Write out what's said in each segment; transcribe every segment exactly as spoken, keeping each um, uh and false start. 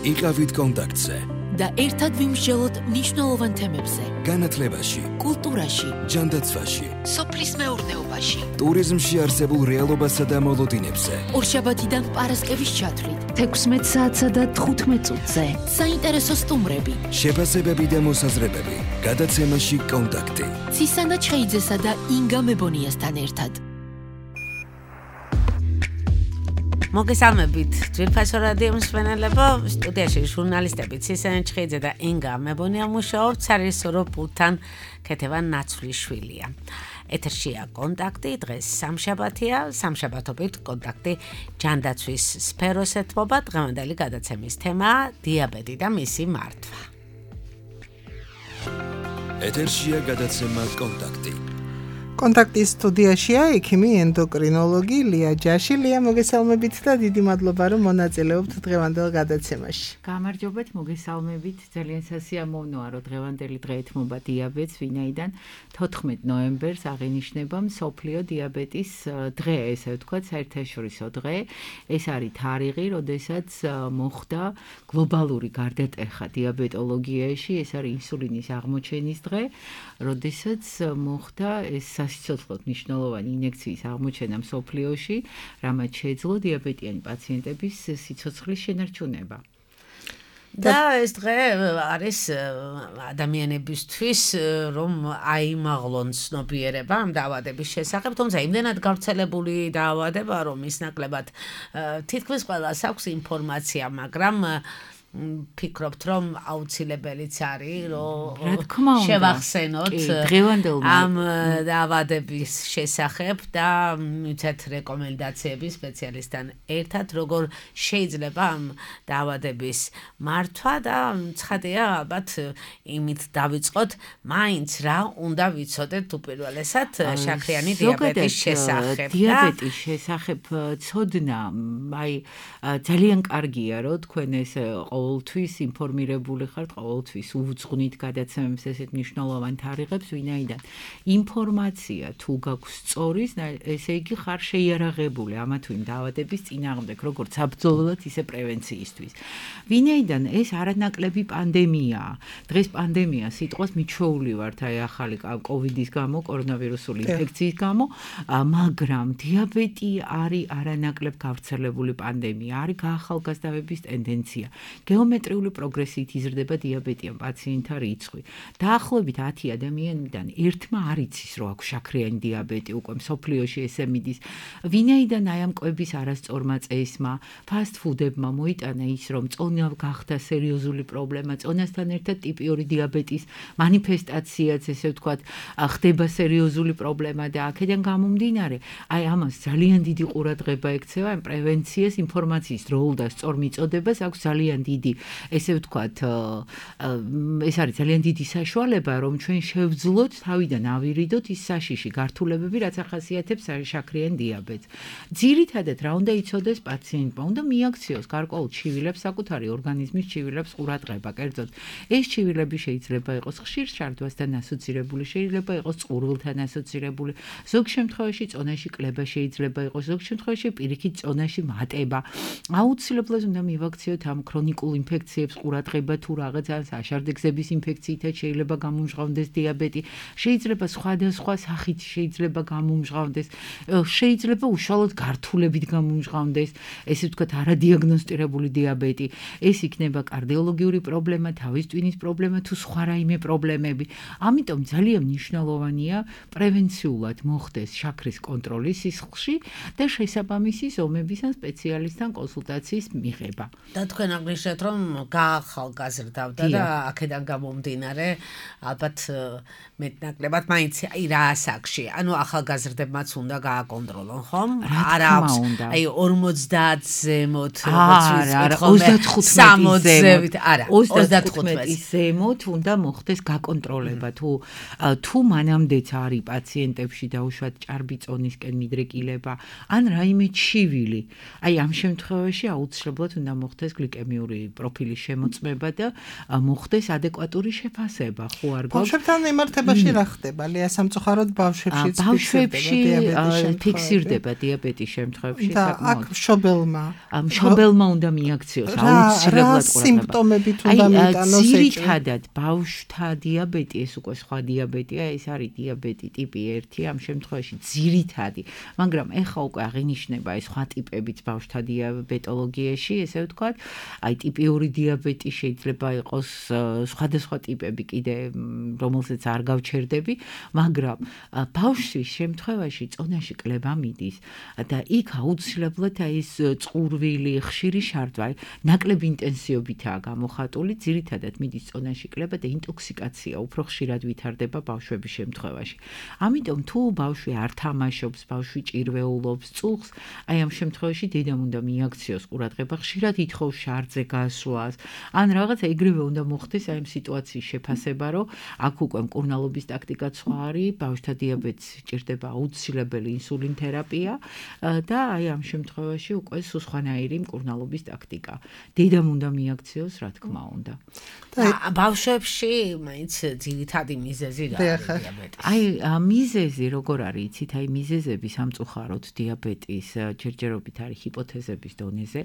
იყავით კონტაქტზე და ერთად ვიმსჯელოთ მნიშვნელოვან თემებზე. განათლებაში, კულტურაში, ჯანდაცვაში, სოფლის მეურნეობაში, ტურიზმში არსებულ რეალობასა და მოლოდინებზე. ორშაბათიდან პარასკევის ჩათვლით, თექვსმეტ საათსა და თხუთმეტ წუთზე. საინტერესო სტუმრები, შეფასებები და მოსაზრებები. გადაცემაში კონტაქტი. ცისანა ჩხეიძესა და ინგა მებონიასთან ერთად. მოგესალმებით, ძვირფასო რადიო მსმენელებო, სტუდიაში ჟურნალისტები ცისანა ჩხეიძე და ინგა მებონია მუშაობთ სარეჟისორო პულტთან ქეთევან ნაცვლიშვილია. ეთერშია კონტაქტი, დღეს სამშაბათია, სამშაბათობით კონტაქტი ჯანდაცვის სფეროს ეთმობა, დღევანდელი გადაცემის თემაა დიაბეტი და მისი მართვა. ეთერშია გადაცემა კონტაქტი. კონტაქტის სტუდიაშია ექიმი ენდოკრინოლოგი ლია ჯაში. ლია, მოგესალმებით და დიდი მადლობა, რომ მონაწილეობთ დღევანდელ გადაცემაში. გამარჯობათ, მოგესალმებით. ძალიან სასიამოვნოა, რომ დღევანდელი დღე ეთმობა დიაბეტს, ვინაიდან თოთხმეტ ნოემბერს აღინიშნება მსოფლიო დიაბეტის დღე, ესე ვთქვათ, საერთაშორისო დღე. ეს არის თარიღი, როდესაც მოხდა გლობალური გარდატეხა დიაბეტოლოგიაში, ეს არის ინსულინის აღმოჩენის დღე, როდესაც მოხდა ეს სასიცოცხლოდ მნიშვნელოვანი ინიექციის აღმოჩენა მსოფლიოში, რამაც შეეძლო დიაბეტიანი პაციენტების სიცოცხლის შენარჩუნება. და ეს დღე არის ადამიანებისთვის, რომ აიმაღლონ ცნობიერება ამ დაავადების შესახებ, თუმცა იმდენად გავრცელებული დაავადება, რომ ის ნაკლებად თითქმის ყველას აქვს ინფორმაცია, მაგრამ ფიქრობთ, რომ აუცილებელიც არის, რომ შევახსენოთ ამ დაავადების შესახებ და მივცეთ რეკომენდაციები სპეციალისტთან ერთად, როგორ შეიძლება ამ დაავადების მართვა და ცხადია, ალბათ იმით დავიწყოთ, მაინც რა უნდა ვიცოდეთ უპირველესად შაქრიანი დიაბეტის შესახებ. დიაბეტის შესახებ ცოდნა, აი ძალიან კარგია, რომ თქვენ ეს ყოველთვის ინფორმირებული ხართ, ყოველთვის უძღვნით გადაცემებს ესეთ მნიშვნელოვან თარიღებს, ვინაიდან ინფორმაცია თუ გაქვს სწორი, ესე იგი ხარ შეიარაღებული ამა თუ იმ დაავადების წინააღმდეგ, როგორც საბრძოლველად, ისე პრევენციისთვის. ვინაიდან ეს არანაკლები პანდემიაა. დღეს პანდემია სიტყვას მიჩვეული ვართ აი ახალი კოვიდის გამო, კორონავირუსული ინფექციის გამო, მაგრამ დიაბეტი არის არანაკლებ გავრცელებული პანდემია, არის გაახალგაზრდების ტენდენცია. გეომეტრიული პროგრესით იზრდება დიაბეტიან პაციენტთა რიცხვი. დაახლოებით ათი ადამიანიდან ერთმა არ იცის, რომ აქვს შაქრიანი დიაბეტი, უკვე მსოფლიოში ესე მიდის. ვინაიდან აი ამ კვების არასწორმა წესმა, ფასტ-ფუდებმა მოიტანა ის, რომ წონა გახდა სერიოზული პრობლემა, წონასთან ერთად ტიპიური დიაბეტის მანიფესტაციაც, ესე ვთქვათ, ხდება სერიოზული პრობლემა და აქედან გამომდინარე, აი ამას ძალიან დიდი ყურადღება ექცევა, ამ პრევენციას, ინფორმაციის როლ და სწორ მიწოდებას აქვს ძალიან დიდი, ესე ვთქვათ, ეს არის ძალიან დიდი საშუალება, რომ ჩვენ შევძლოთ თავიდან ავირიდოთ ის საშიში გართულებები, რაც ახასიათებს შაქრიან დიაბეტს. ძირითადად რა უნდა იცოდეს პაციენტმა? უნდა მიაქციოს გარკვეულ ჩივილებს, საკუთარი ორგანიზმის ჩივილებს ყურადღება, კერძოდ ეს ჩივილები შეიძლება იყოს ხშირ შარდვასთან ასოცირებული, შეიძლება იყოს წყურვილთან ასოცირებული, ზოგ შემთხვევაში წონაში კლება შეიძლება იყოს, ზოგ შემთხვევაში პირიქით წონაში მატება. აუცილებლად უნდა მივაქციოთ ამ ქრონიკულ ინფექციებს ყურადღება, თუ რაღაცა აშარდეგზების ინფექციითაც შეიძლება გამომჟღავნდეს დიაბეტი, შეიძლება სხვადასხვა სახით შეიძლება გამომჟღავნდეს, შეიძლება უშუალოდ გართულებით გამომჟღავნდეს, ესე ვთქვათ, არადიაგნოსტირებული დიაბეტი, ეს იქნება კარდიოლოგიური პრობლემა, თავის ტვინის პრობლემა თუ სხვა რაიმე პრობლემები. ამიტომ ძალიან მნიშვნელოვანია პრევენციულად მოხდეს შაქრის კონტროლი სისხლში და შესაბამისი ზომების ან სპეციალისტთან კონსულტაციის მიღება. და თქვენ აღნიშნეთ, რომ გაახალგაზრდავდა და აქედან გამომდინარე, ალბათ მეტნაკლებად მაინც აი რა ასაკში, ანუ ახალგაზრდებმაც უნდა გააკონტროლონ, ხომ? არა აქვს აი ორმოცდაათ ზემოთ, როგორც ვიცით, ოცდათხუთმეტი არა, ოცდათხუთმეტი ზემოთ უნდა მოხდეს გაკონტროლება, თუ თუ მანამდეც არის პაციენტებში დაუშვათ ჭარბი წონისკენ მიდრეკილება, ან რაიმე ჩივილი. აი ამ შემთხვევაში აუცილებლად უნდა მოხდეს გლიკემიური პროფილის შემოწმება და მოხდეს ადეკვატური შეფასება, ხო არ გვაქვს? ბავშვებთან მიმართებაში რა ხდება? ლია სამწუხაროდ ბავშვებშიც ბავშვებში ფიქსირდება დიაბეტის შემთხვევებში საკმაოდ. და აქ მშობელმა მშობელმა უნდა მიაქციოს აუცილებლად ყურადღება. სიმპტომებით უნდა მიიტანოს ეჭვი. ძირითადად ბავშვთა დიაბეტი, ეს უკვე სხვა დიაბეტია, ეს არის დიაბეტი ტიპი ერთი, ამ შემთხვევაში ძირითადი, მაგრამ ეხა უკვე აღინიშნება ეს სხვა ტიპებიც ბავშვთა დიაბეტოლოგიაში, ესე ვთქვათ, აი ტიპიური დიაბეტი შეიძლება იყოს სხვადასხვა ტიპები კიდე, რომელსაც არ გავჩერდები, მაგრამ ბავშვის შემთხვევაში წონაში კლება მიდის და იქ აუცილებლად აი ეს წყურვილი, ხშირი შარდვა, ნაკლები ინტენსივობითაა გამოხატული, ძირითადად მიდის წონაში კლება და ინტოქსიკაცია უფრო ხშირად ვითარდება ბავშვების შემთხვევაში. ამიტომ თუ ბავშვი არ თამაშობს, ბავშვი ჭირვეულობს, წუხს, აი ამ შემთხვევაში დედამ უნდა მიაქციოს ყურადღება, ხშირად ითხოვს შარძზე გასვლას, ან რაღაცა ეგრევე უნდა მოხდეს აი ამ სიტუაციის შეფასება, რომ აქ უკვე მკურნალობის ტაქტიკა სხვა არის, ბავშვთა დიაბეტს ჭირდება აუცილებელი ინსულინ თერაპია და აი ამ შემთხვევაში უკვე სხვანაირი მკურნალობის ტაქტიკა. დედამ უნდა მიაქციოს, რა თქმა უნდა. და ბავშვებში მაინც ძირითადი მიზეზი რა არის დიაბეტის? აი მიზეზი როგორ არის, იცით, აი მიზეზები სამწუხაროდ დიაბეტის ჯერჯერობით არის ჰიპოთეზების დონეზე,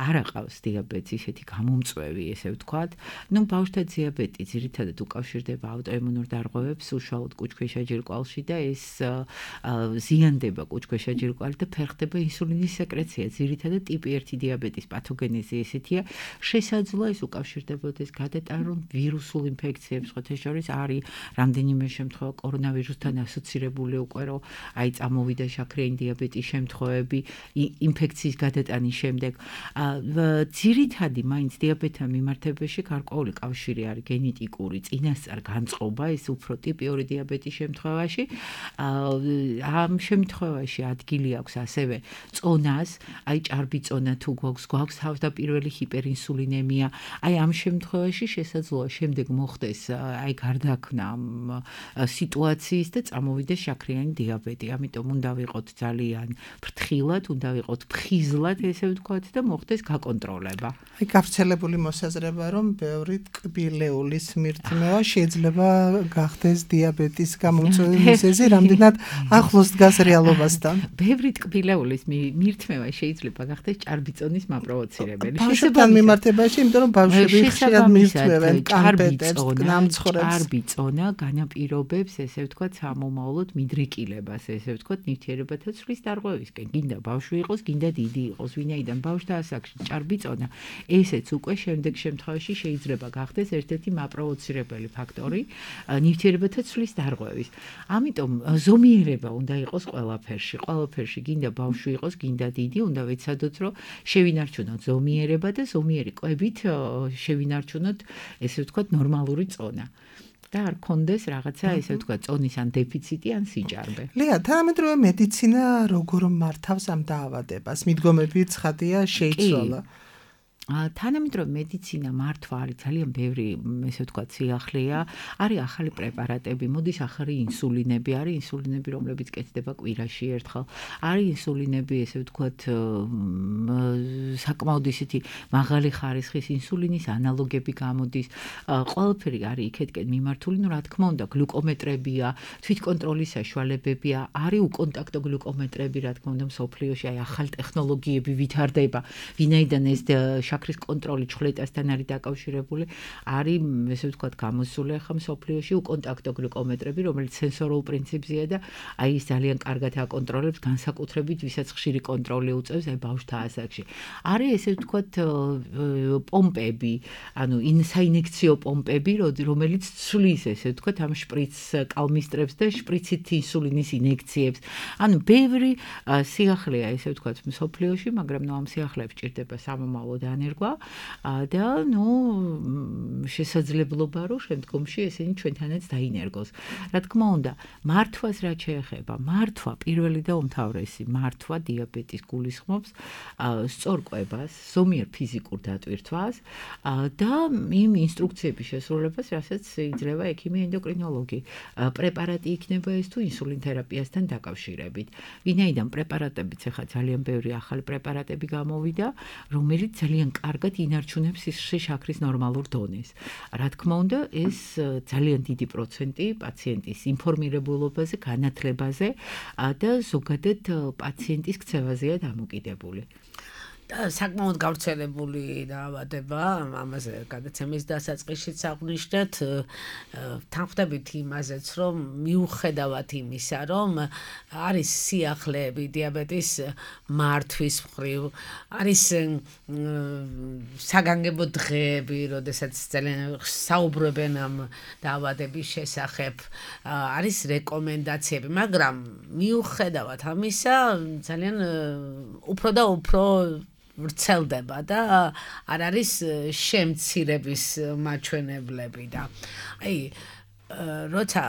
არ აყავს დიაბეტს ისეთი გამომწვევი, ესე ვთქვათ. ნუ ბავშვთა დიაბეტი ძირითადად უკავშირდება ავტოიმუნურ დარღვევებს, უშუალოდ კუჭქვეშა ჯირკვალში და ეს ზიანდება კუჭქვეშა ჯირკვალი და ფერხდება ინსულინის სეკრეცია. ძირითადად ტიპი ერთი დიაბეტის პათოგენეზი ესეთია, შესაძლოა ეს უკავშირდებოდეს გადატანილ ვირუსულ ინფექციებს, ხოთა შორის არის რამდენიმე შემთხვევა კორონავირუსთან ასოცირებული უკვე, რომ აი წამოვიდა შაქრიანი დიაბეტის შემთხვევები ინფექციის გადატანის შემდეგ. ძირითადი მაინც დიაბეტთან მიმართებაში გარკვეული კავშირი არის გენეტიკური, წინასწარ განწყობა, ეს უფრო ტიპიური დიაბეტის შემთხვევაში. ამ შემთხვევაში ადგილი აქვს ასევე წონას, აი ჭარბი წონა თუ გვაქვს, გვაქვს თავდაპირველი ჰიპერინსულინემია. აი ამ შემთხვევაში შესაძლოა შემდეგ მოხდეს აი გარდაქმნა სიტუაციის და წამოვიდეს შაქრიანი დიაბეტი. ამიტომ უნდა ვიყოთ ძალიან ფრთხილად, უნდა ვიყოთ ფხიზლად, ესე ვთქვათ და მოხდეს გაკონტროლება. აი გავრცელებული მოსაზრება, რომ ბევრი ტკბილეულის მირთმევა შეიძლება გახდეს დიაბეტის გამომწვევი მიზეზი, რამდენად ახლოს დგას რეალობასთან. ბევრი ტკბილეულის მირთმევა შეიძლება გახდეს ჭარბი წონის მაპროვოცირებელი. ბავშვებთან მიმართებაში, იმიტომ რომ ბავშვები ხშირად მირთმევენ კამპეტებს, ნამცხრებს. ჭარბი წონა განაპირობებს, ესე ვთქვათ, სამომავლოდ მიდრეკილებას, ესე ვთქვათ, ნივთიერებათა ცვლის დარღვევისკენ. გინდა ბავშვი იყოს, გინდა დიდი იყოს, ვინაიდან ბავშვთა ასაკში ჭარბი წონა, ესეც უკვე შემდეგ შემთხვევაში შეიძლება გახდეს ერთ-ერთი მაპროვოცირებელი ფაქტორი ნივთიერებათა ცვლის დარღვევის. ამიტომ ზომიერება უნდა იყოს ყველაფერში. ყველაფერში გინდა ბავშვი იყოს, გინდა დიდი, უნდა ვეცადოთ, რომ შევინარჩუნოთ ზომიერება და ზომიერი კვებით შევინარჩუნოთ, ესე ვთქვათ, ნორმალური წონა. და არ კონდეს რაღაცა, ესე ვთქვათ, წონის ან დეფიციტი, ან სიჭარბე. ლია, თანამედროვე მედიცინა როგორ მართავს ამ დაავადებას? მიდგომები ცხადია, შეიცვალა. თანამედროვე მედიცინა მართვა არის ძალიან ბევრი, ესე ვთქვათ, სიახლეა. არის ახალი პრეპარატები, მოდის ახალი ინსულინები, არის ინსულინები, რომლებიც კეთდება კვირაში ერთხელ. არის ინსულინები, ესე ვთქვათ, საკმაოდ ისეთი მაღალი ხარისხის ინსულინის ანალოგები გამოდის. ყველაფერი არის იქეთკენ მიმართული, ნუ რა თქმა უნდა, გლუკომეტრებია, თვითკონტროლის საშუალებებია, არის უკონტაქტო გლუკომეტრები, რა თქმა უნდა, მსოფლიოში აი ახალი ტექნოლოგიები ვითარდება, ვინაიდან ეს შაქრის კონტროლი ჩხლეტასთან არის დაკავშირებული, არის, ესე ვთქვათ, გამოსული ახლა მსოფლიოში უკონტაქტო გლუკომეტრები, რომელიც სენსორულ პრინციპზეა და აი ის ძალიან კარგად აკონტროლებს, განსაკუთრებით ვისაც ხშირი კონტროლი უწევს აი ბავშვთა ასაკში. არის, ესე ვთქვათ, პომპები, ანუ საინექციო პომპები, რომელიც ცვლის, ესე ვთქვათ, ამ შპრიცს კალმისტრებს და შპრიცით ინსულინის ინექციებს. ანუ ბევრი სიახლეა, ესე ვთქვათ, მსოფლიოში, მაგრამ ნუ ამ სიახლეებს ჭირდება სამომავლო დანერგვა და ნუ შესაძლებლობა, რომ შემდგომში ესენი ჩვენთანაც დაინერგოს. რა თქმა უნდა, მართვას რა შეეხება? მართვა პირველი და უმთავრესი, მართვა დიაბეტის გულისხმობს სწორ კვებას, ზომიერ ფიზიკურ დატვირთვას და იმ ინსტრუქციების შესრულებას, რასაც იძლევა ექიმი ენდოკრინოლოგი. პრეპარატი იქნება ეს თუ ინსულინ თერაპიასთან დაკავშირებით. ვინაიდან პრეპარატებიც ახლა ძალიან ბევრი ახალი პრეპარატები გამოვიდა, რომელიც ძალიან კარგად ინარჩუნებს სისხლში შაქრის ნორმალურ დონეს. რა თქმა უნდა, ეს ძალიან დიდი პროცენტი პაციენტის ინფორმირებულობაზე, განათლებაზე და ზოგადად პაციენტის ქცევაზეა დამოკიდებული. და საკმაოდ გავრცელებული დაავადება, ამაზე გადაცემის დასაწყისშიც აღვნიშნეთ, თანხმდებით იმაზეც, რომ მიუხედავად იმისა, რომ არის სიახლეები დიაბეტის მართვის მხრივ, არის საგანგებო დღეები, როდესაც ძალიან საუბრობენ ამ დაავადების შესახებ, არის რეკომენდაციები, მაგრამ მიუხედავად ამისა, ძალიან უფრო და უფრო ვრცელდება და არ არის შემცირების მაჩვენებლები და აი როცა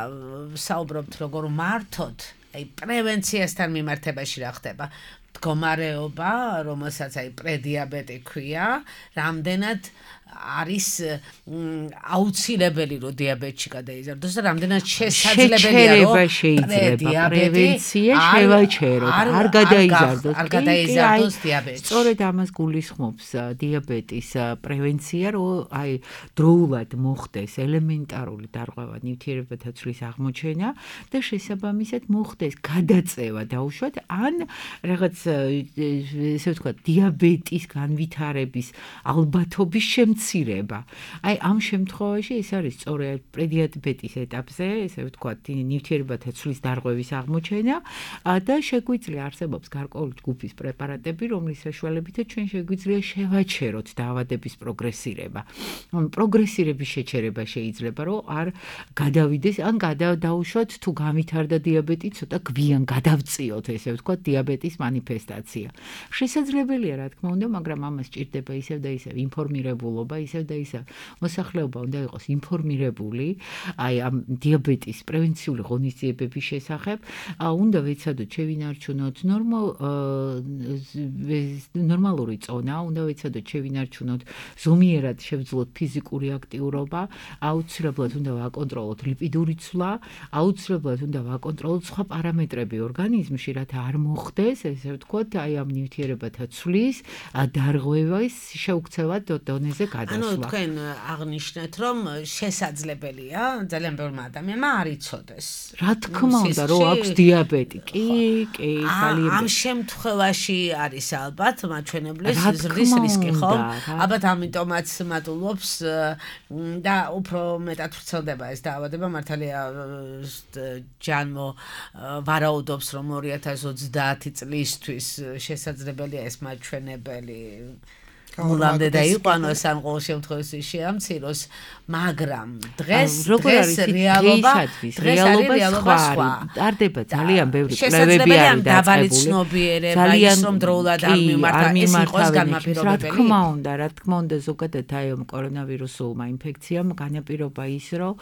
საუბრობთ როგორ მართოთ, აი პრევენციასთან მიმართებაში რა ხდება? მდგომარეობა, რომელსაც აი პრედიაბეტი ქვია, რამდენად არის აუცილებელი რომ დიაბეტში გადაიზარდოს და რამდენად შესაძლებელია რომ შეიძლება პრევენცია შევაჩეროთ, არ გადაიზარდოს, არ გადაიზარდოს დიაბეტი. სწორედ ამას გულისხმობს დიაბეტის პრევენცია, რომ აი დროულად მოხდეს ელემენტარული დარღვევა ნივთიერებათა ცვლის აღმოჩენა და შესაბამისად მოხდეს გადაწევა დაუშვათ ან რაღაც ესე ვთქვათ დიაბეტის განვითარების ალბათობის შემცირება. აი ამ შემთხვევაში ეს არის სწორედ პრედიაბეტის ეტაპზე, ესე ვთქვათ, ნივთიერებათა ცვლის დარღვევის აღმოჩენა და შეგვიძლია არსებობს გარკვეული ჯგუფის პრეპარატები, რომლის საშუალებითაც ჩვენ შეგვიძლია შევაჩეროთ დაავადების პროგრესირება. პროგრესირების შეჩერება შეიძლება, რომ არ გადავიდეს, ან გადავდაუშვათ თუ განვითარდა დიაბეტი, ცოტა გვიან გადავწიოთ, ესე ვთქვათ, დიაბეტის მანიფესტაცია. შესაძლებელია, რა თქმა უნდა, მაგრამ ამას სჭირდება ისევ და ისევ ინფორმირებულობა, ისევ და ისევ მოსახლეობა უნდა იყოს ინფორმირებული, აი ამ დიაბეტის პრევენციული ღონისძიებების შესახებ, უნდა ვეცადოთ შევინარჩუნოთ ნორმალური წონა, უნდა ვეცადოთ შევინარჩუნოთ ზომიერად შევძლოთ ფიზიკური აქტიურობა, აუცილებლად უნდა ვაკონტროლოთ ლიპიდური ცვლა, აუცილებლად უნდა ვაკონტროლოთ სხვა პარამეტრები ორგანიზმში, რათა არ მოხდეს, ესე ვთქვათ, აი ამ ნივთიერებათა ცვლის დარღვევის შეუქცევა დონეზე გადასვლა. ანუ თქვენ აღნიშნეთ, რომ შესაძლებელია ძალიან ბევრმა ადამიანმა არ იცოდეს. რა თქმა უნდა, რომ აქვს დიაბეტი. კი, კი, ძალიან. ამ შემთხვევაში არის ალბათ მაჩვენებლის ზრდის რისკი, ხო? ალბათ ამიტომაც მატულობს და უფრო მეტად ვრცელდება ეს დაავადება. მართალია ჯანმო ვარაუდობს, რომ ორი ათას ოცდაათი წლისთვის შესაძლებელია ეს მაჩვენებელი მულამდე დაიყვანოს ან ყოველ შემთხვევაში შეამციროს, მაგრამ დღეს დღეს რეალობა დღეს არის რეალობა სხვა. ტარდება ძალიან ბევრი კვლევები არის დაწყებული. ძალიან რომ დროულად არ მიმართა, ეს იყოს განმაპირობებელი. რა თქმა უნდა, რა თქმა უნდა, ზოგადად აი ამ კორონავირუსულმა ინფექციამ განაპირობა ის, რომ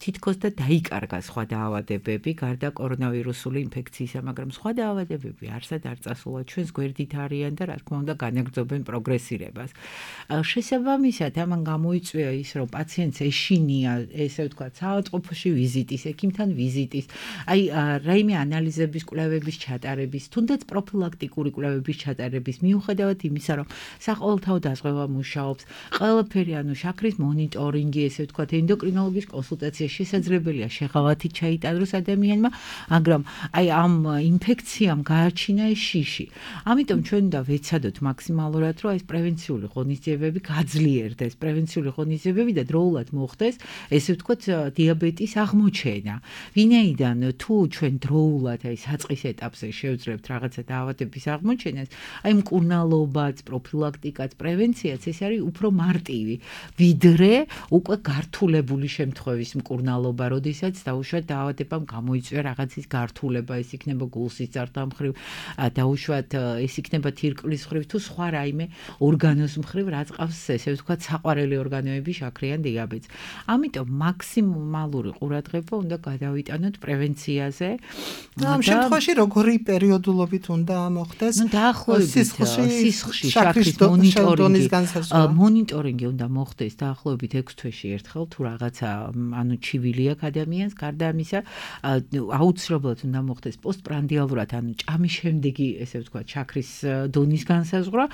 თითქოს და დაიკარგა სხვა დაავადებები, გარდა კორონავირუსული ინფექციისა, მაგრამ სხვა დაავადებები არსად არ წასულა ჩვენს გვერდით არიან და რა თქმა უნდა განაგრძობენ პროგრესირებას. შესაბამისად, ამან გამოიწვია ის, რომ პაციენტს ეშინია, ესე ვთქვათ, საავადმყოფოში ვიზიტის, ექიმთან ვიზიტის, აი რაიმე ანალიზების, კვლევების ჩატარების, თუნდაც პროფილაქტიკური კვლევების ჩატარების, მიუხედავად იმისა, რომ საყოველთაო დაზღვევა მუშაობს, ყველაფერი, ანუ შაქრის მონიტორინგი, ესე ვთქვათ, ენდოკრინოლოგის კონსულტაცია შესაძლებელია შეღავათით ჩაიტაროს ადამიანმა, მაგრამ აი ამ ინფექციამ გააჩინა ეს შიში. ამიტომ ჩვენ უნდა ვეცადოთ მაქსიმალურად, რომ ეს პრევენციული ღონისძიებები გაძლიერდეს, პრევენციული ღონისძიებები და დროულად მოხდეს, ესე ვთქვათ, დიაბეტის აღმოჩენა. ვინაიდან თუ ჩვენ დროულად აი საწყის ეტაპზე შევძლებთ რაღაცა დაავადების აღმოჩენას, აი მკურნალობაც, პროფილაქტიკაც, პრევენციაც ეს არის უფრო მარტივი, ვიდრე უკვე გართულებული შემთხვევის მკურნალობა, როდესაც დაუშვათ დაავადებამ გამოიწვია რაღაცის გართულება, ეს იქნება გულსიცართა მხრივ, დაუშვათ ეს იქნება თირკმლის მხრივ თუ სხვა რაიმე ორგანოს მხრივ, რაც ყავს ესე ვთქვათ, საყვარელი ორგანოები შაქრიან დიაბეტს. ამიტომ მაქსიმალური ყურადღება უნდა გადავიტანოთ პრევენციაზე. ამ შემთხვევაში როგორი პერიოდულობით უნდა მოხდეს? ნუ დაახლოებით სისხლში შაქრის მონიტორინგი მონიტორინგი უნდა მოხდეს დაახლოებით ექვს თვეში ერთხელ თუ რაღაცა ანუ ჩივილი აქვს ადამიანს, გარდა ამისა აუცილებლად უნდა მოხდეს პოსტპრანდიალურად, ანუ ჭამის შემდეგი, ესე ვთქვათ, შაქრის დონის განსაზღვრა,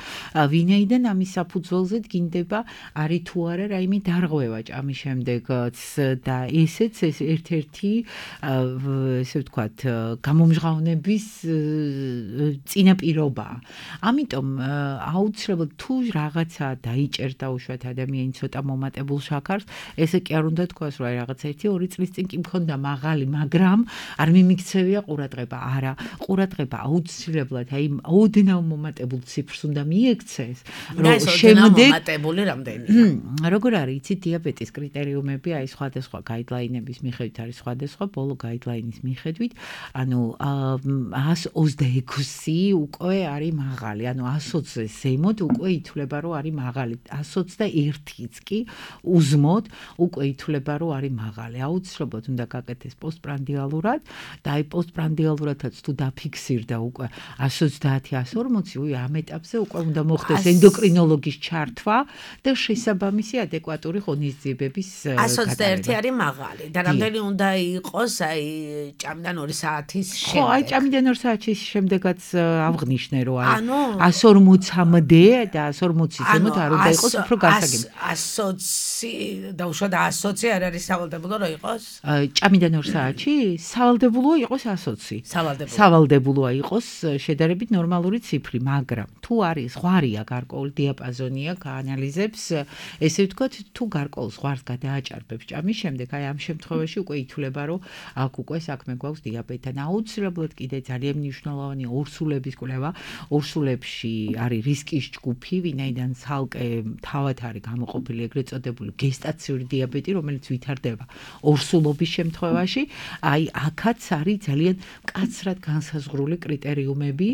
ვინაიდან ამის საფუძველზე დგინდება არის თუ არა რაიმე დარღვევა ჭამის შემდეგაც და ესეც ეს ერთ-ერთი ესე ვთქვათ გამომჟღავნების წინაპირობაა. ამიტომ აუცილებლად თუ რაღაცა დაიჭერდა უშუალოდ ადამიანი ცოტა მომატებულ შაქარს, ესე კი არ უნდა თქვას, რომ აი რაღაც ერთი ორი წლის წინ კი მქონდა მაღალი, მაგრამ არ მიმიქცევია ყურადღება. არა, ყურადღება აუცილებლად აი ოდნავ მომატებულ ციფრს უნდა მიექცეს, რომ შემდეგ მომატებული რამდენია. როგორ არის, იცით, დიაბეტის კრიტერიუმები აი სხვადასხვა გაიდლაინების მიხედვით არის სხვადასხვა, ბოლო გაიდლაინის მიხედვით, ანუ ას ოცდაექვსი უკვე არის მაღალი, ანუ ას ოცზე ზემოთ უკვე ითვლება, რომ არის მაღალი. ას ოცდაერთიც კი უზმოდ უკვე ითვლება, რომ არის მაღალი. აუცილებლად უნდა გაკეთდეს პოსტპრანდიალურად და აი პოსტპრანდიალურადაც თუ დაფიქსირდა უკვე ას ოცდაათი ას ორმოცი, უი ამ ეტაპზე უკვე უნდა მოხდეს ენდოკრინოლოგის ჩართვა და შესაბამისი ადეკვატური ღონისძიებების გატარება. ას ოცდაერთი არის მაღალი და რამდენი უნდა იყოს აი ჭამიდან ორი საათის შემდეგ. ხო, აი ჭამიდან ორი საათის შემდეგაც ავღნიშნე, რომ აი ას ორმოცამდე და ას ორმოცის ზემოთ არ უნდა იყოს უფრო გასაგები. ას ოცი და უშუალოდ ას ოცი არ არის სავალდებულო რომ იყოს? ჭამიდან ორი საათში სავალდებულოა იყოს ას ოცი. სავალდებულო. სავალდებულოა იყოს შედარებით ნორმალური ციფრი, მაგრამ თუ არის ზღვარია გარკვეული დიაპაზონია გაანალიზებს, ესე ვთქვათ, თუ გარკვეულ ზღვარს გადააჭარბებს ჭამის შემდეგ, აი ამ შემთხვევაში უკვე ითვლება, რომ აქ უკვე საქმე გვაქვს დიაბეტთან. აუცილებლად კიდე ძალიან მნიშვნელოვანი ორსულების კვლევა. ორსულებში არის რისკის ჯგუფი, ვინაიდან ცალკე თავად არის გამოყოფილი ეგრეთ წოდებული გესტაციური დიაბეტი, რომელიც ვითარდება ორსულობის შემთხვევაში. აი აქაც არის ძალიან მკაცრად განსაზღვრული კრიტერიუმები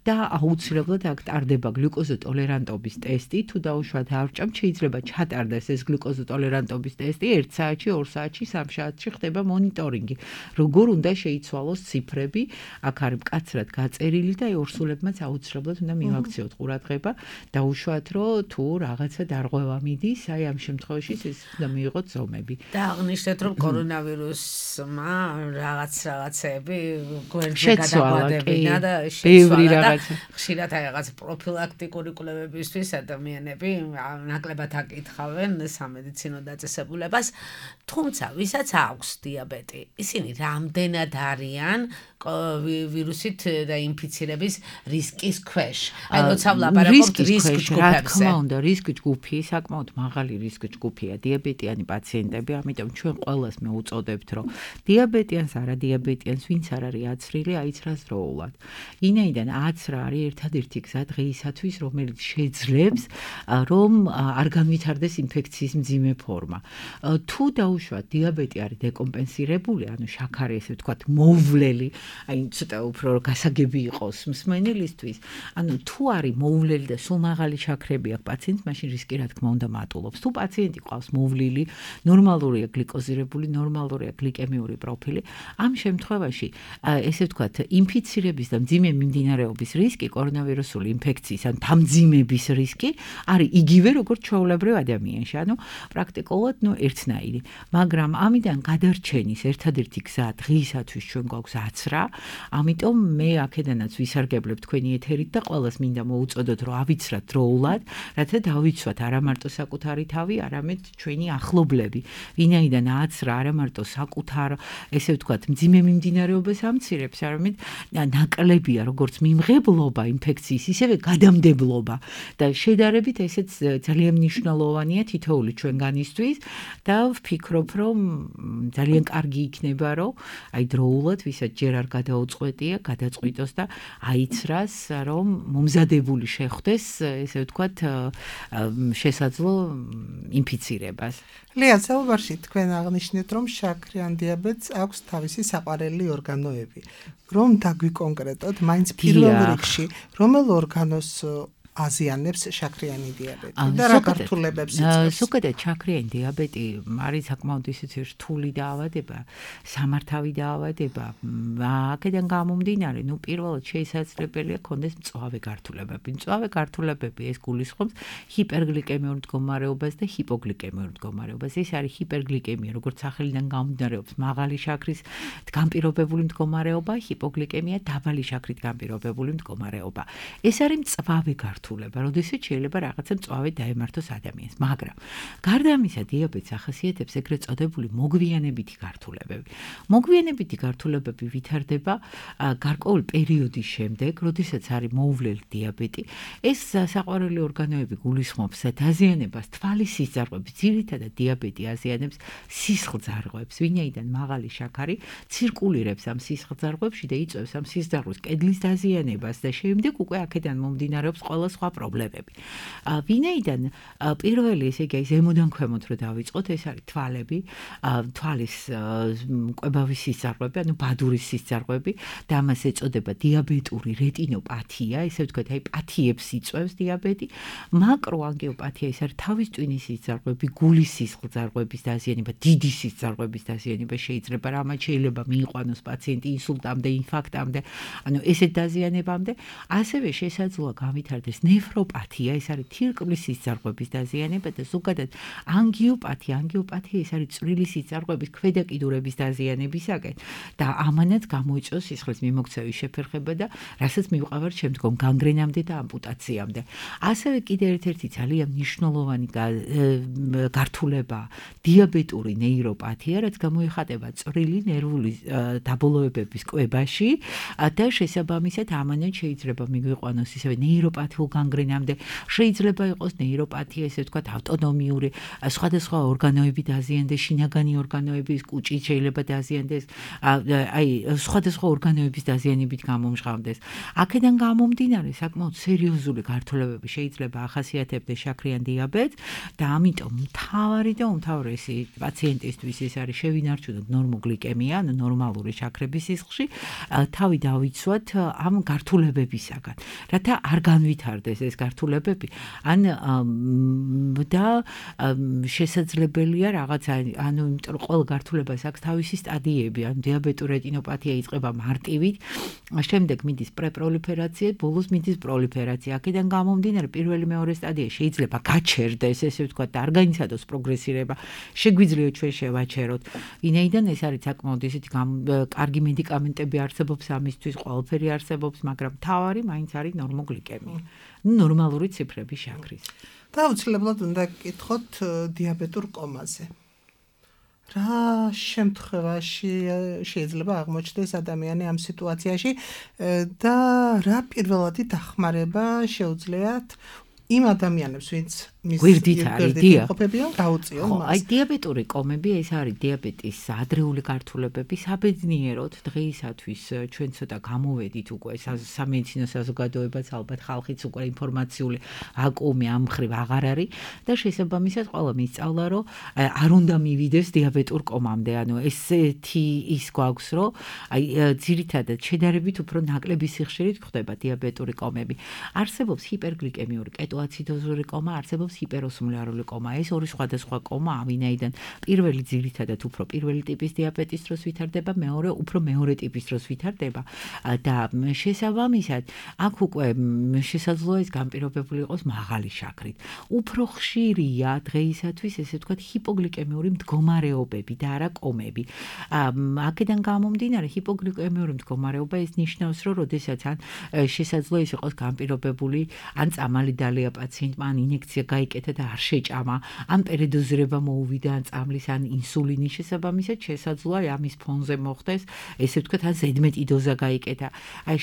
და აუცილებლად აქ ტარდება გლიკოზოტოლერანტობის ტესტი. თუ დაუშვათ არ ჭამ, შეიძლება ჩატარდეს ეს გლიკოზოტოლერანტობის ტესტი ერთ საათში, ორ საათში, სამ საათში ხდება მონიტორინგი. როგორ უნდა შეიცვალოს ციფრები, აქ არის მკაცრად გაწერილი და ორსულებმაც აუცილებლად უნდა მივაქციოთ ყურადღება და უშუალოდ რომ თუ რაღაცა დარღვევა მიდის, აი ამ შემთხვევაში ეს უნდა მიიღოთ ზომები. და აღნიშნეთ, რომ კორონავირუსმა რაღაც რაღაცები გვერდზე გადაგვადებინა და შეცვალა და ხშირად აი რაღაც პროფილაქტიკური კვლევებისთვის ადამიანები ნაკლებად აკითხავენ სამედიცინო დაწესებულებას, თუმცა ვისაც აქვს დიაბეტი, ისინი რამდენად არიან ვირუსით და ინფიცირების რისკის ქვეშ. აი როცა ვლაპარაკობთ რისკ ჯგუფებზე. რა თქმა უნდა, რისკ ჯგუფი საკმაოდ მაღალი რისკ ჯგუფია დიაბეტიანი პაციენტები, ამიტომ ჩვენ ყველას მეუწოდებთ, რომ დიაბეტიანს, არადიაბეტიანს, ვინც არ არის აცრილი, აიცრას დროულად. ვინაიდან აცრა არის ერთადერთი გზა დღეისათვის, რომელიც შეძლებს, რომ არ განვითარდეს ინფექციის მძიმე ფორმა. თუ დაუშვათ დიაბეტი არის დეკომპენსირებული, ანუ შაქარი, ესე ვთქვათ, მოუვლელი, აი ცოტა უფრო გასაგები იყოს მსმენელისთვის, ანუ თუ არის მოუვლელი და სულ მაღალი შაქრები აქვს პაციენტს, მაშინ რისკი რა თქმა უნდა მატულობს. თუ პაციენტი ყავს მოვლილი, ნორმალურია გლიკოზირებული, ნორმალურია გლიკემიური პროფილი, ამ შემთხვევაში, ესე ვთქვათ, ინფიცირების და მძიმე მიმდინარეობის რისკი, კორონავირუსული ინფექციის ან დამძიმების რისკი არის იგივე როგორც ჩვეულებრივ ადამიანში, ანუ პრაქტიკულად ნუ ერთნაირი. მაგრამ ამიდან გადარჩენის ერთადერთი გზა დღეისათვის ჩვენ გვაქვს აცრა, ამიტომ მე აქედანაც ვისარგებლებ თქვენი ეთერით და ყველას მინდა მოუწოდოთ, რომ ავიცრათ დროულად, რათა დავიცვათ არა მარტო საკუთარი თავი, არამედ ჩვენი ახლობლები. ვინაიდან აცრა არა მარტო საკუთარ, ესე ვთქვათ, მძიმე მიმდინარეობას ამცირებს, არამედ ნაკლებია როგორც მიმღებლობა ინფექციის, ისევე გადამდებლობა და შედარებით ესეც ძალიან მნიშვნელოვანია თითოეული ჩვენგანისთვის და ვფიქრობ, რომ ძალიან კარგი იქნება, რომ აი დროულად ვისაც ჯერ არ გადაუწყვეტია, გადაწყვიტოს და აიცრას, რომ მომზადებული შეხვდეს, ესე ვთქვათ, შესაძლო ინფიცირებას. ლია, საუბარში თქვენ აღნიშნეთ, რომ შაქრიან დიაბეტს აქვს თავისი საყვარელი ორგანოები. რომ დაგვიკონკრეტოთ, მაინც პირველ რიგში, რომელ ორგანოს აზიანებს შაქრიანი დიაბეტი და რა გართულებებს იწვევს? ზოგადად შაქრიანი დიაბეტი არის საკმაოდ ისეთი რთული დაავადება, სამართავი დაავადება. აქედან გამომდინარე, ნუ პირველად შესაძლებელია ქონდეს მწვავე გართულებები. მწვავე გართულებები ეს გულისხმობს ჰიპერგლიკემიურ მდგომარეობას და ჰიპოგლიკემიურ მდგომარეობას. ეს არის ჰიპერგლიკემია, როგორც სახელიდან გამომდინარეობს, მაღალი შაქრის განპირობებული მდგომარეობა, ჰიპოგლიკემია, დაბალი შაქრით განპირობებული მდგომარეობა. ეს არის მწვავე გართულება. გართულება, როდესაც შეიძლება რაღაცა მწვავე დაემართოს ადამიანს, მაგრამ გარდა ამისა, დიაბეტს ახასიათებს ეგრეთ წოდებული მოგვიანებითი გართულებები. მოგვიანებითი გართულებები ვითარდება გარკვეული პერიოდის შემდეგ, როდესაც არის მოუვლელი დიაბეტი. ეს საყვარელი ორგანოები გულისხმობს დაზიანებას თვალის სისხლძარღვების, ძირითადად დიაბეტი აზიანებს სისხლძარღვებს, ვინაიდან მაღალი შაქარი ცირკულირებს ამ სისხლძარღვებში და იწვევს ამ სისხლძარღვის კედლის დაზიანებას და შემდეგ უკვე აქედან მომდინარეობს ყველა სხვა პრობლემები. ვინაიდან პირველი ესე იგი ზემოდან ქვემოთ რო დავიწყოთ, ეს არის თვალები, თვალის კვებავის სისხლძარღვები, ანუ ბადურის სისხლძარღვები და ამას ეწოდება დიაბეტური რეტინოპათია, ესე ვთქვათ, აი პათიებს იწვევს დიაბეტი. მაკროანგიოპათია ის არის თავის ტვინის სისხლძარღვები, გულის სისხლძარღვების დაზიანება, დიდი სისხლძარღვების დაზიანება შეიძლება, რამაც შეიძლება მიიყვანოს პაციენტი ინსულტამდე, ინფარქტამდე, ანუ ესეთ დაზიანებამდე. ასევე შესაძლოა გავითარდეს ნეფროპათია, ეს არის თირკმლის სისხლძარღვების დაზიანება და ზოგადად ანგიოპათია, ანგიოპათია ის არის წვრილი სისხლძარღვების ქვედა კიდურების დაზიანებისაკენ და ამანაც გამოიწვევს სისხლის მიმოქცევის შეფერხება და რასაც მივყავართ შემდგომ განგრენამდე და ამპუტაციამდე. ასევე კიდევ ერთ-ერთი ძალიან მნიშვნელოვანი გართულება დიაბეტური ნეიროპათია, რაც გამოიხატება წვრილი ნერვული დაბოლოებების კვებაში და შესაბამისად ამანაც შეიძლება მიგვიყვანოს ისევე ნეიროპათიულ განგრენამდე, შეიძლება იყოს ნეიროპათია, ესე ვთქვათ, ავტონომიური, სხვადასხვა ორგანოები დაზიანდეს, შინაგანი ორგანოების კუჭი შეიძლება დაზიანდეს, აი სხვადასხვა ორგანოების დაზიანებით გამომჟღავნდეს. აქედან გამომდინარე, საკმაოდ სერიოზული გართულებები შეიძლება ახასიათებდეს შაქრიან დიაბეტს და ამიტომ მთავარი და უმთავრესი პაციენტისთვის ეს არის შევინარჩუნოთ ნორმოგლიკემია, ანუ ნორმალური შაქრების სისხლში, თავი დავიცვათ ამ გართულებებისაგან, რათა არ განვითარდეს ეს გართულებები, ან და შესაძლებელია რაღაცა, ანუ იმიტომ რომ ყველა გართულებას აქვს თავისი სტადიები, ანუ დიაბეტური რეტინოპათია იწყება მარტივით, შემდეგ მიდის პრეპროლიფერაცია, ბოლოს მიდის პროლიფერაცია. აქედან გამომდინარე, პირველი მეორე სტადია შეიძლება გაჩერდეს, ესე ვთქვათ, და არ განიცადოს პროგრესირება. შეგვიძლია ჩვენ შევაჩეროთ. ვინაიდან ეს არის საკმაოდ ისეთი კარგი მედიკამენტები არსებობს ამისთვის, ყველაფერი არსებობს, მაგრამ მთავარი მაინც არის ნორმოგლიკემია. ნორმალური ციფრები შაქრის. და აუცილებლად უნდა გკითხოთ დიაბეტურ კომაზე. რა შემთხვევაში შეიძლება აღმოჩნდეს ადამიანი ამ სიტუაციაში და რა პირველადი დახმარება შეუძლიათ იმ ადამიანებს, ვინც მის გვერდით არის დიაბეტი გაუწიონ მას. აი დიაბეტური კომები ეს არის დიაბეტის ადრეული გართულებები, საბედნიეროდ დღეისათვის ჩვენ ცოტა გამოვედით უკვე სამედიცინო საზოგადოებაც ალბათ ხალხიც უკვე ინფორმაციული ვაკუუმი ამ მხრივ აღარ არის და შესაბამისად ყველა მისწავლა რომ არ უნდა მივიდეს დიაბეტურ კომამდე, ანუ ესეთი ის გვაქვს რომ აი ძირითადად შედარებით უფრო ნაკლები სიხშირით ხდება დიაბეტური კომები. არსებობს ჰიპერგლიკემიური კეტოაციდოზური კომა, არსებობს ჰიპეროსმოლარული კომა. ეს ორი სხვადასხვა კომა, ვინაიდან პირველი ძირითადად უფრო პირველი ტიპის დიაბეტის დროს ვითარდება, მეორე უფრო მეორე ტიპის დროს ვითარდება და შესაბამისად აქ უკვე შესაძლოა ეს განპირობებული იყოს მაღალი შაქრით. უფრო ხშირია დღეისათვის ესე ვთქვათ ჰიპოგლიკემიური მდგომარეობები და არა კომები. აქედან გამომდინარე ჰიპოგლიკემიური მდგომარეობა ეს ნიშნავს, რომ როდესაც ან შესაძლოა ის იყოს განპირობებული, ან წამალი დალია პაციენტმა, ან ინექცია გაიკეთა და არ შეჭამა, ან პერედოზირება მოუვიდა, ან წამლის, ან ინსულინის შესაბამისად შესაძლოა ამის ფონზე მოხდეს, ესე ვთქვათ, ან ზედმეტი დოზა გაიკეთა. აი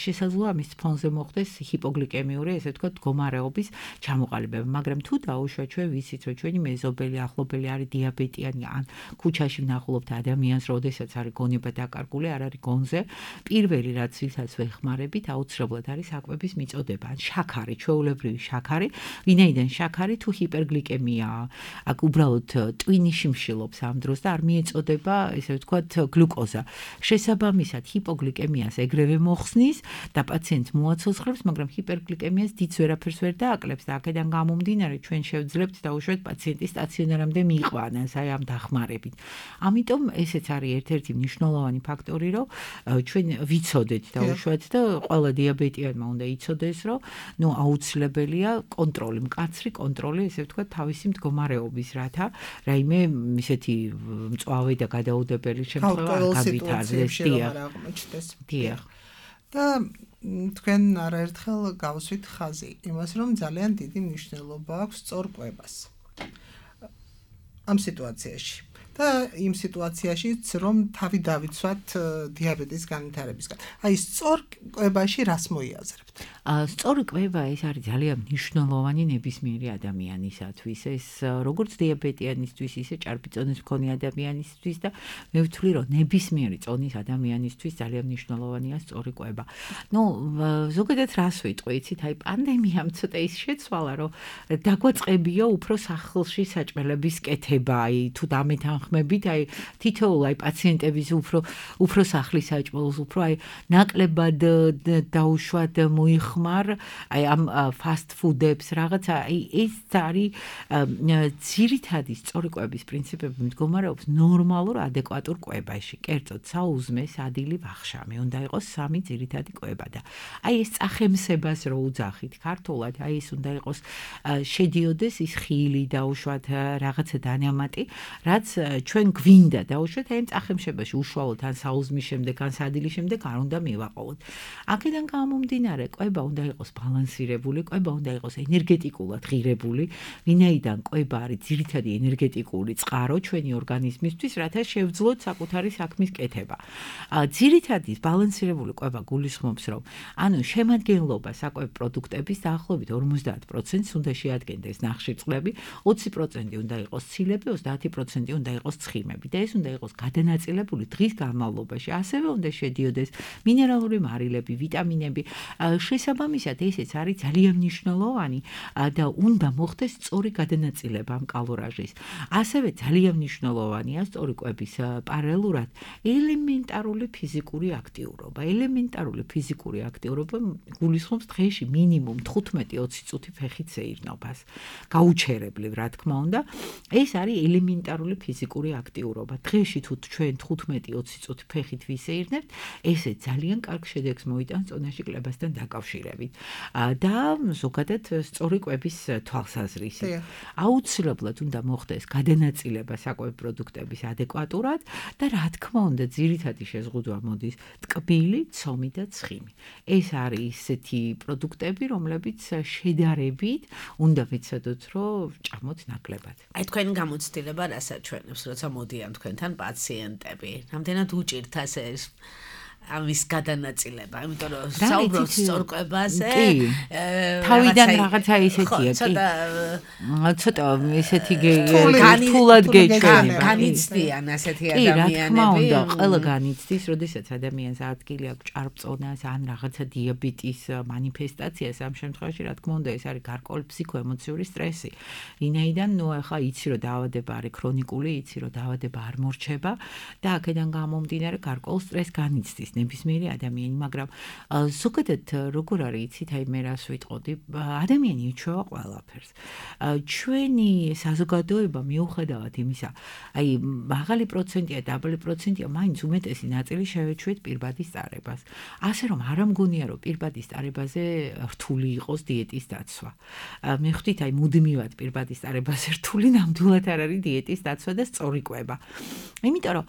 შესაძლოა ამის ფონზე მოხდეს ჰიპოგლიკემიური, ესე ვთქვათ, მდგომარეობის ჩამოყალიბება, მაგრამ თუ დაუშვათ ჩვენ ვიცით, რომ ჩვენი მეზობელი, ახლობელი არის დიაბეტიანი, ან ქუჩაში ვნახულობთ ადამიანს, როდესაც არის გონება დაკარგული, არ არის გონზე, პირველი რაც ვისაც ვეხმარებით, აუცილებლად არის საკვების მიწოდება, ან შაქარი, ჩვეულებრივი შაქარი, ვინაიდან შაქარი თუ ჰიპერგლიკემიაა, აქ უბრალოდ ტვინი შიმშილობს ამ დროს და არ მიეწოდება, ესე ვთქვათ, გლუკოზა. შესაბამისად, ჰიპოგლიკემიას ეგრევე მოხსნის და პაციენტს მოაცოცხლებს, მაგრამ ჰიპერგლიკემიას დიდ ვერაფერს ვერ დააკლებს და აქედან გამომდინარე ჩვენ შევძლებთ დაუშვათ პაციენტის სტაციონარამდე მიიყვანას აი ამ დახმარებით. ამიტომ ესეც არის ერთ-ერთი მნიშვნელოვანი ფაქტორი, რომ ჩვენ ვიცოდეთ დაუშვათ და ყველა დიაბეტიანმა უნდა იცოდეს, რომ ნუ აუცილებელია კონტროლი, მკაცრი კონტროლი, ესე ვთქვათ, თავისი მდგომარეობის, რათა რაიმე ისეთი მწვავე და გადაუდებელი შემთხვევა არ გავითარდეს. დიახ. და თქვენ არაერთხელ გავუსვით ხაზი იმას, რომ ძალიან დიდი მნიშვნელობა აქვს სწორკვებას ამ სიტუაციაში. და იმ სიტუაციაშიც რომ თავი დავიცვათ დიაბეტის განვითარებისგან. აი სწორკვებაში რას მოიაზრებთ? სწორი კვება ეს არის ძალიან მნიშვნელოვანი ნებისმიერი ადამიანისათვის. ეს როგორც დიაბეტიანისთვის, ისე ჭარბი-წონის მქონე ადამიანისთვის და მე ვთვლი, რომ ნებისმიერი წონის ადამიანისთვის ძალიან მნიშვნელოვანია სწორი კვება. ნუ ზოგადად რას ვიტყვი, იცით, აი პანდემიამ ცოტა ის შეცვალა, რომ დაგვაწყებია უფრო სახლში საჭმელების კეთება, აი თუ დამეთანხმებით, აი თითოეულ აი პაციენტების უფრო უფრო სახლის საჭმელს, უფრო აი ნაკლებად დაუშვათ მოიხ ხმარ აი ამ ფასტ ფუდებს რაღაცა აი ეს არის ძირითადი სწორი კვების პრინციპები მდგომარეობს ნორმალურ ადეკვატურ კვებაში. კერძოდ საუზმე, სადილი, ვახშამი უნდა იყოს სამი ძირითადი კვება და აი ეს წახემსებას რო უძახით ქართულად, აი ეს უნდა იყოს შედიოდეს ის ხილი დაუშვათ რაღაცა დანამატი, რაც ჩვენ გვინდა დაუშვათ აი წახემსებაში უშუალოდ ან საუზმის შემდეგ ან სადილის შემდეგ არ უნდა მივაყოლოთ. აქედან გამომდინარე კვება უნდა იყოს ბალანსირებული, კვება უნდა იყოს ენერგეტიკულად ღირებული, ვინაიდან კვება არის ძირითადი ენერგეტიკული წყარო ჩვენი ორგანიზმისთვის, რათა შევძლოთ საკუთარი საქმის კეთება. ძირითადი ბალანსირებული კვება გულისხმობს, რომ ანუ შემადგენლობა საკვებ პროდუქტების დაახლოებით ორმოცდაათ პროცენტს უნდა შეადგენდეს ნახშირწყლები, ოცი პროცენტი უნდა იყოს ცილები, ოცდაათი პროცენტი უნდა იყოს ცხიმები და ეს უნდა იყოს გადანაწილებული დღის განმავლობაში. ასევე უნდა შედიოდეს მინერალური მარილები, ვიტამინები, შესაბამისად ესეც არის ძალიან მნიშვნელოვანი და უნდა მოხდეს სწორი გადანაწილება ამ კალორაჟის. ასევე ძალიან მნიშვნელოვანია სწორი კვების პარალელურად ელემენტარული ფიზიკური აქტიურობა. ელემენტარული ფიზიკური აქტიურობა გულისხმობს დღეში მინიმუმ თხუთმეტი ოცი წუთი ფეხით სეირნობას. გაუჩერებლივ, რა თქმა უნდა, ეს არის ელემენტარული ფიზიკური აქტიურობა. დღეში თუ ჩვენ თხუთმეტი ოცი წუთი ფეხით ვისეირნებთ, ესე ძალიან კარგ შედეგს მოიტანს წონაში კლებასთან დაკავშირებით. და ზოგადად სწორი კვების თვალსაზრისით. აუცილებლად უნდა მოხდეს გადანაწილება საკვებ პროდუქტების ადეკვატურად და რა თქმა უნდა ძირითადი შეზღუდვა მოდის ტკბილი, ცომი და ცხიმი. ეს არის ისეთი პროდუქტები, რომლებიც შედარებით უნდა ვიცოდოთ, რომ ჭამოთ ნაკლებად. აი თქვენ გამოცდილება რას აჩვენებს, როცა მოდიან თქვენთან პაციენტები? რამდენად უჭირთ ასე ამის გადანაწილება, იმიტომ რომ საუბრობთ სწორკვებაზე. თავიდან რაღაცა ისეთია, კი. ცოტა ისეთი თულად გეჩვენება. განიცდიან ასეთი ადამიანები. კი, რა თქმა უნდა, ყველა Mm. განიცდის, როდესაც ადამიანს ადგილი აქვს ჭარბწონას ან რაღაცა დიაბეტის მანიფესტაციას, ამ შემთხვევაში, რა თქმა უნდა, ეს არის გარკვეული ფსიქოემოციური სტრესი. ვინაიდან, ნუ ახლა იცი, რომ დაავადება არის ქრონიკული, იცი, რომ დაავადება არ მორჩება და აქედან გამომდინარე გარკვეულ სტრესს განიცდის ნებისმიერი ადამიანი, მაგრამ ზოგადად როგორ არის, იცით, აი მე რას ვიტყოდი, ადამიანი იჩვევა ყველაფერს. ჩვენი საზოგადოება მიუხედავად იმისა, აი მაღალი პროცენტია, დაბალი პროცენტია, მაინც უმეტესი ნაწილი შევეჩვეთ პირბადის წარებას. ასე რომ არ ამგონია, რომ პირბადის წარებაზე რთული იყოს დიეტის დაცვა. მე ხვდით, აი მუდმივად პირბადის წარებაზე რთული ნამდვილად არ არის დიეტის დაცვა და სწორი კვება. იმიტომ რომ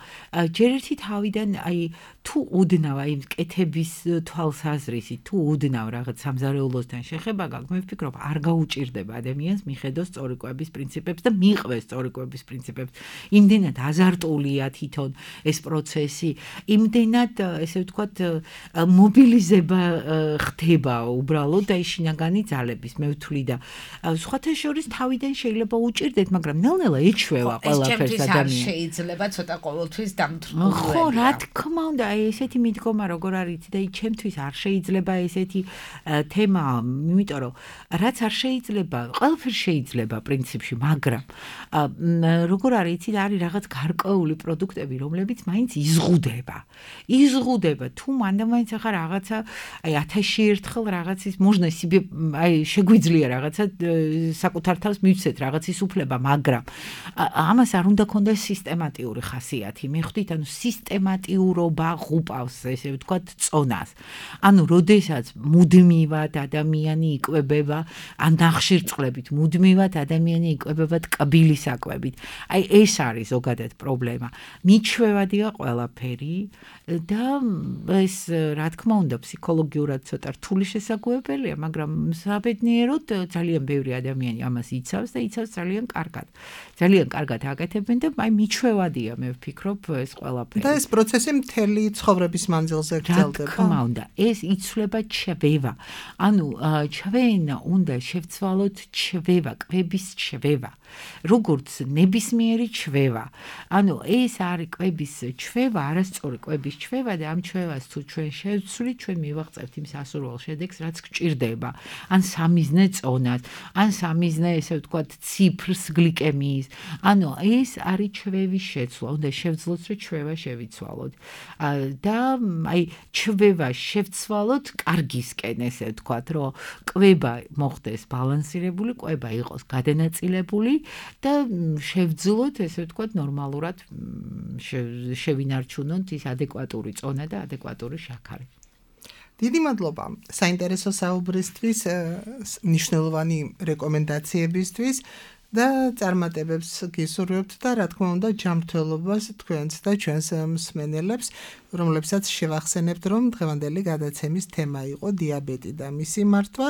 ჯერ ერთი თავიდან აი თუ უდნავ აი კეთების თვალსაზრისით, თუ უდნავ რაღაც სამზარეულოსთან შეხება გაქვს, მე ვფიქრობ, არ გაუჭირდება ადამიანს მიხედოს სწორი კვების პრინციპებს და მიყვეს სწორი კვების პრინციპებს. იმდენად აზარტულია თვითონ ეს პროცესი, იმდენად ესე ვთქვათ მობილიზება ხდება უბრალოდ და ის შინაგანი ძალების, მე ვთვლი და სხვათა შორის თავიდან შეიძლება უჭირდეთ, მაგრამ ნელ-ნელა ეჩვევა ყველაფერს ადამიანს. შეიძლება ცოტა ყოველთვის დამთრგუნველია. ხო, რა თქმა უნდა, აი ესეთი მიდგომა როგორ არის და აი ჩემთვის არ შეიძლება ესეთი თემა, იმიტომ რომ რაც არ შეიძლება, ყველაფერს შეიძლება პრინციპში, მაგრამ როგორ არის, იცით, არის რაღაც გარკვეული პროდუქტები, რომლებიც მაინც იზღუდება. იზღუდება, თუ მანდ-მაინც ახლა რაღაცა, აი ათასში ერთხელ რაღაცის მოჟნა სიბე, აი შეგვიძლია რაღაცა საკუთარ თავს მივცეთ რაღაცის უფლება, მაგრამ ამას არ უნდა ქონდეს სისტემატიური ხასიათი. მე ხვდით, ანუ სისტემატიურობა ღუპავს იწვევს, ესე ვთქვათ, წონას. ანუ, როდესაც მუდმივად ადამიანი იკვებება, ან ნახშირწყლებით მუდმივად ადამიანი იკვებება ტკბილი საკვებით. აი, ეს არის ზოგადად პრობლემა. მიჩვევადია ყველაფერი და ეს, რა თქმა უნდა, ფსიქოლოგიურად ცოტა რთული შესაძლებელი, მაგრამ საბედნიეროდ ძალიან ბევრი ადამიანი ამას იცავს და იცავს ძალიან კარგად. ძალიან კარგად აკეთებენ და აი მიჩვევადია, მე ვფიქრობ, ეს ყველაფერი. და ეს პროცესი მთელი ცხოვრების მანძილზე გრძელდება. რა თქმა უნდა, ეს იცვლება ჩვევა. ანუ ჩვენ უნდა შევცვალოთ ჩვევა, კვების ჩვევა. როგორც ნებისმიერი ჩვევა. ანუ ეს არის კვების ჩვევა, არასწორი კვების ჩვევა და ამ ჩვევას თუ ჩვენ შევცვლით, ჩვენ მივაღწევთ იმ სასურველ შედეგს, რაც გჭირდება. ან სამიზნე წონას, ან სამიზნე, ესე ვთქვათ, ციფრს გლიკემიის. ანუ ეს არის ჩვევის შეცვლა. უნდა შევძლოთ, რომ ჩვევა შევიცვალოთ. და აი ჩვევა შევცვალოთ კარგისკენ, ესე ვთქვათ, რომ კვება მოხდეს ბალანსირებული, კვება იყოს გადანაწილებული და შევძლოთ, ესე ვთქვათ, ნორმალურად შევინარჩუნოთ ის ადეკვატური წონა და ადეკვატური შაქარი. დიდი მადლობა საინტერესო საუბრისთვის, მნიშვნელოვანი რეკომენდაციებისთვის და წარმატებებს გისურვებთ და რა თქმა უნდა ჯანმრთელობას თქვენს და ჩვენს მსმენელებს, რომლებსაც შევახსენებთ, რომ დღევანდელი გადაცემის თემა იყო დიაბეტი და მისი მართვა.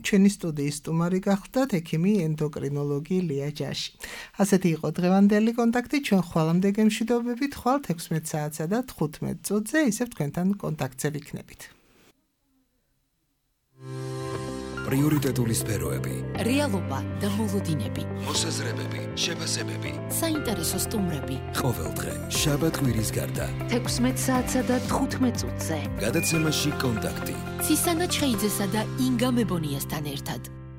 ჩვენი სტუდიის სტუმარი გახლდათ ექიმი ენდოკრინოლოგი ლია ჯაში. ასეთი იყო დღევანდელი კონტაქტი. ჩვენ ხვალამდე გემშვიდობებით, ხვალ ექვსმეტ საათსა და თხუთმეტ წუთზე ისევ თქვენთან კონტაქტზე ვიქნებით. პრიორიტეტული სფეროები, რეალობა და მოლოდინები, მოსაზრებები, შეფასებები, საინტერესო სტუმრები. ყოველდღე შაბათ-კვირის გარდა ექვსმეტ საათსა და თხუთმეტ წუთზე. გადაცემაში კონტაქტი. ცისანა ჩხეიძესა და ინგა მებონიასთან ერთად.